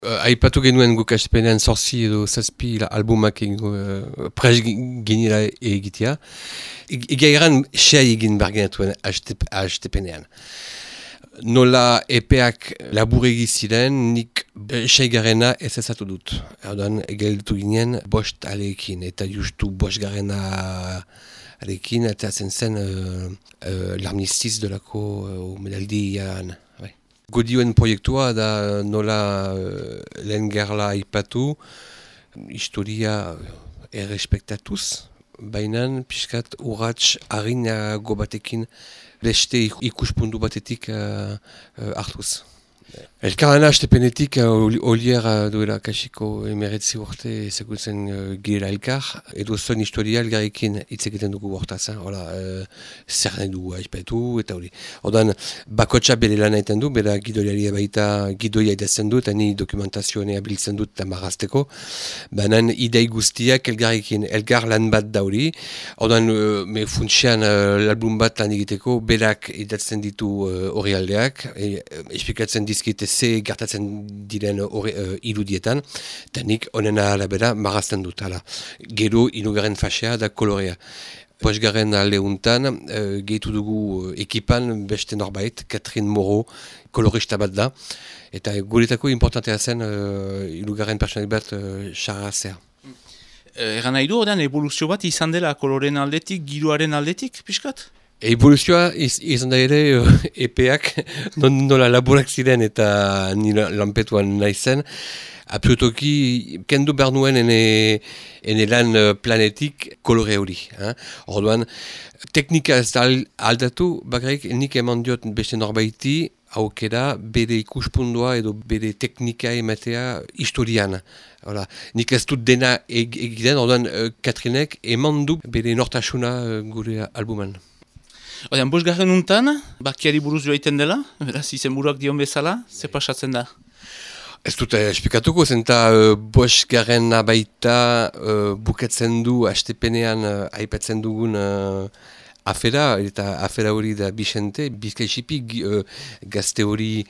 Aipatu genuen guk aspenean zorzi edo zazpi albumak prez ginela egitea. Egia egan sei egin bargenatuen astepenean. Nola epeak laburegi ziren, nik seigarrena ez ezatu dut. Erdoan, gelditu ginen bost aleekin, eta justu bost garrena aleekin, eta zen l'armistiz delako medaldian. Godioen proiektua da nola lehen gerla aipatu, historia errespektatuz, baina pixkat urrats harinago batekin beste ikuspuntu batetik hartuz. Elkarlana astepenetik Olier duela kasiko emeretzi urte ezagutzen girela elkar, edo zuen historia elgarrekin hitz egiten dugu hortaz, zer nahi dugu aipatu eta hori. Ordan bakotxa bere lan egiten du, bera gidoiaria baita gidoia idazten du, eta ni dokumentazioa abiltzen dut eta marrazteko, baina idei guztiak elgarrekin, elgar lan bat da hori, ordan me funtsian album bat lan egiteko, berak idazten ditu hori aldeak, esplikatzen dizkite ze gertatzen diren irudietan, eta nik onena arabera marrazten dut. Gero inugarren fasea da kolorea. Posgarren aldeuntan, gehitu dugu ekipan beste norbait, Catherine Moreau, kolorista bat da, eta guretako importantea zen inugarren personalik bat xarrazea. Egan nahi du, odean evoluzio bat izan dela koloren aldetik, giroaren aldetik, pixkat? Evoluzioa izan da ere epeak nola laburak ziren eta nire lanpetuan nahi zen. Absolutoki kendu behar nuen ene lan planetik kolore hori. Orduan, teknika ez da aldatu, bakarrik nik eman diot beste norbaiti aukera bere ikuspundua edo bere teknika ematea historian. Nik ez dut dena egiten, orduan Katrinek eman du bere nortasuna gure albuman. Odean, bosgarren untan, bakiari buruz joaiten dela, beraz izen buruak dion bezala, ze pasatzen da? Ez dut esplikatuko, zenta bosgarren baita bukatzen du astepenean aipatzen dugun afera, eta afera hori da Bixente, Bizkaisipi gazte hori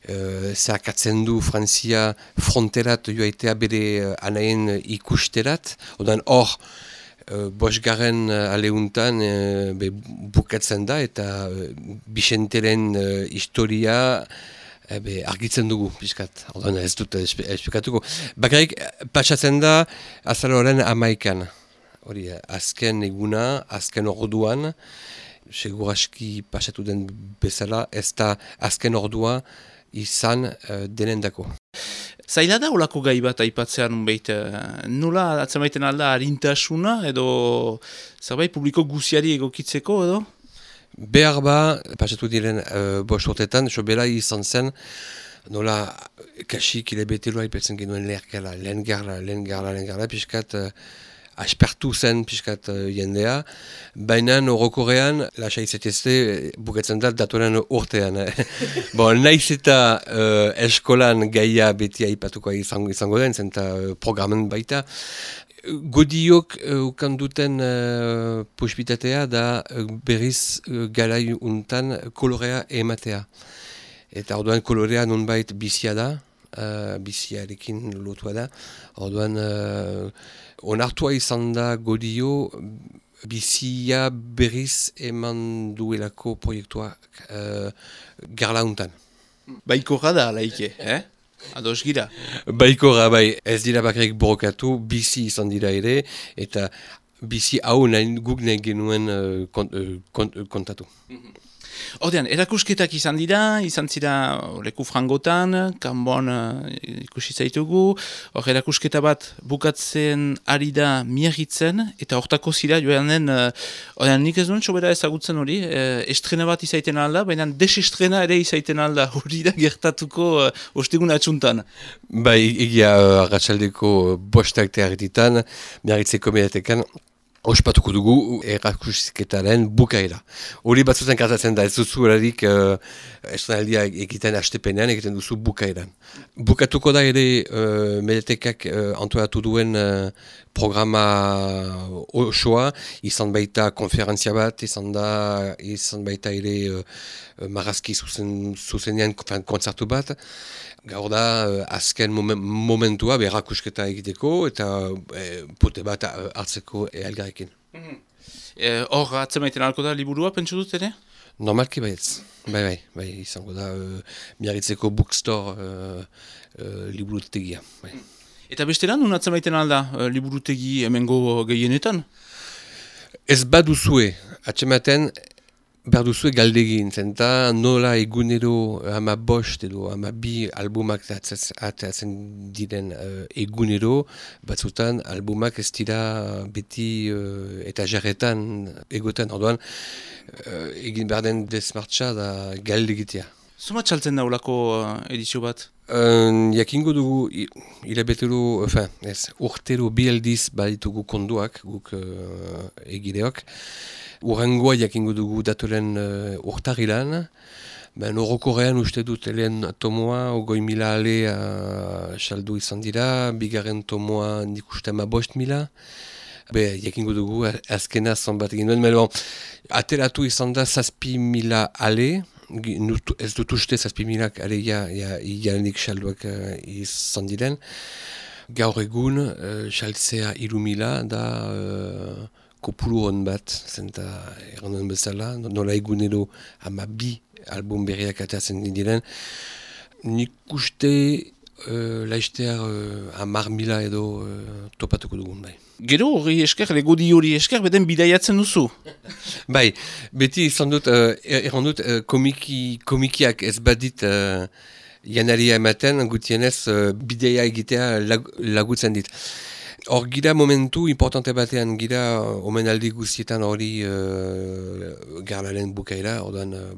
zehakatzen du Frantzia fronterat joaitea bere anaien ikusterat, odan hor, bosgarren aleuntan bukatzen da eta Bixenteren historia argitzen dugu, pixkat. Ordan ez dut esplikatuko. Bakarrik, patsatzen da azaloren 11an. Hori, azken eguna, azken orduan, seguraski pasatu den bezala, ez da azken ordua izan denendako. Zaila da olako gai bat aipatzean unbeit, nola atzemaiten alda harintasuna edo zerbait publiko guziari egokitzeko edo? Behar ba, pasatu diren bost urtetan, sobera izan zen, nola kasik hilabetelo aipatzen genuen lehen gerla, piskat aspertu zen piskat jendea, baina orokorrean, lasa izetezte, bukatzen da datoren urtean. Naiz eta eskolan gaia beti aipatuko izango den, zenta programen baita. Godiok ukanduten posibitatea da berriz galai untan kolorea ematea. Eta orduan kolorea nonbait bizia da, biziarekin lotua da. Orduan onartua izan da Godio bizia berriz eman duelako proiektuak gerla untan. Baikorra da, laike, Ados gira? Baikorra, bai, ez dira bakarrik borokatu, bizi izan dira ere, eta bizi hau guk nahi genuen kontatu. Odean, erakusketak izan zira leku frangotan, kanbon ikusi zaitugu, hor erakusketa bat bukatzen ari da miagitzen, eta hortako zira joanen, odean nik ez duen sobera ezagutzen hori, estrena bat izaiten alda, baina desestrena ere izaiten alda, hori da gertatuko ostegun atxuntan. Bai, egia arratsaldeko bostak tearetitan, miagitzeko mediatekan, ospatuko dugu erakusketaren bukaera. Hori batzutan kartatzen da, ez duzu erarik estrenaldia egiten astepenean, egiten duzu bukaeran. Bukatuko da ere mediatekak antolatu duen programa osoa, izan baita konferentzia bat, izan baita ere marrazki zuzenean kontzertu bat. Gaur da, azken momentua berrakusketa egiteko eta pote bat hartzeko elgarrekin. Hor, atzemaiten alko da liburua, pentsu dut ere? Normalki baietz. Bai, izango da Miarritzeko bookstore liburutegia. Bai. Eta bestela, nun atzemaiten alda liburutegi hemengo gehienetan? Ez baduzue, atzematen behar duzue galdegin, zenta nola egunero 15 edo 12 albumak ateratzen diren egunero, batzutan albumak ez dira beti eta jarretan egoten, orduan egin behar den desmartxa da galdegitea. Zuma txaltzen da olako edizio bat? Jakingo dugu hilabetero, urtero bi aldiz baditugu konduak, guk egileok. Urrengoa jakingo dugu datoren urtarilan. Orokorrean uste dut lehen tomoa, 20.000 ale saldu izan dira, bigarren tomoa nik uste 15.000. Jakingo dugu azkena zonbat egin duen, ateratu izan da 6.000 ale, ez dut uste 6.000 ale jalenik salduak izan diren. Gaur egun, saltzea 3.000 da kopuru hon bat, zenta erranduen bezala, nola egunero 12 album berriak ateratzen diren. Nik uste laiztear 10.000 edo topatuko dugun, bai. Gero hori esker, legodi hori esker, beden bidaiatzen duzu? Bai, beti izan dut, errandut komikiak ez badit janaria ematen, gutienez bideia egitea lagutzen dit. Hor gira momentu importante batean gira omenaldi guztietan hori garlaren bukaera, orduan,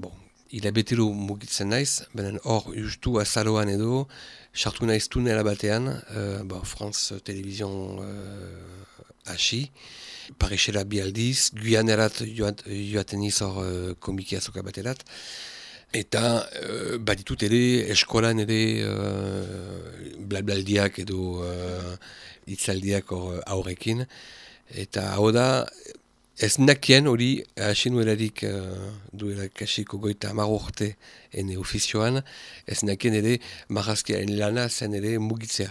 hilabetero mugitzen naiz, benen hor justu azaroan edo, sartu naiz tunela batean, France Television hasi, Parisera bi aldiz, Guyanerat joaten iz hor komiki azoka baterat, eta baditut ere eskolan ere blablaldiak edo hitzaldiak aurrekin, eta hau da ez nakien hori asinuelarik duela kasiko 30 urte ene ofizioan, ez nakien ere marrazkiaren lana zen ere mugitzea.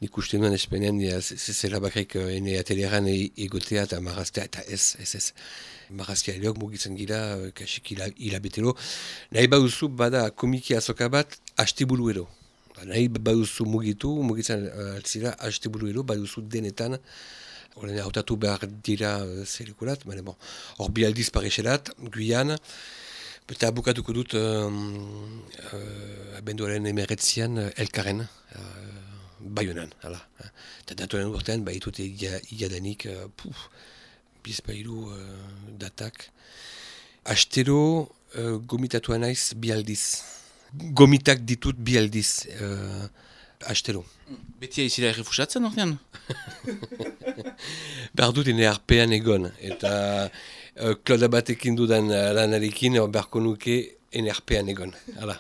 Nik uste nuen espenean zela bakrik ene ateleran egotea eta marraztea, eta ez. Marrazkialeok mugitzen gira kasik hilabetero. Nahi baduzu bada komiki azoka bat asteburu ero. Nahi baduzu mugitzen altzira asteburu ero, baduzu denetan. Olen hautatu behar dira zelikulat, hor bi aldiz Pariserat, Guyane, eta bukatuko dut abenduaren 19 elkarren, Baionan, hala. Eta datoren urtean, baitute iadanik, bizpailu datak. Astero gomitatua naiz bi aldiz. Gomitak ditut bi aldiz, astero. Beti aizira errefusatzen ordean? Behar dut ene arpean egon, eta kloda batekin dudan lanarekin beharko nuke ene arpean egon. Hala.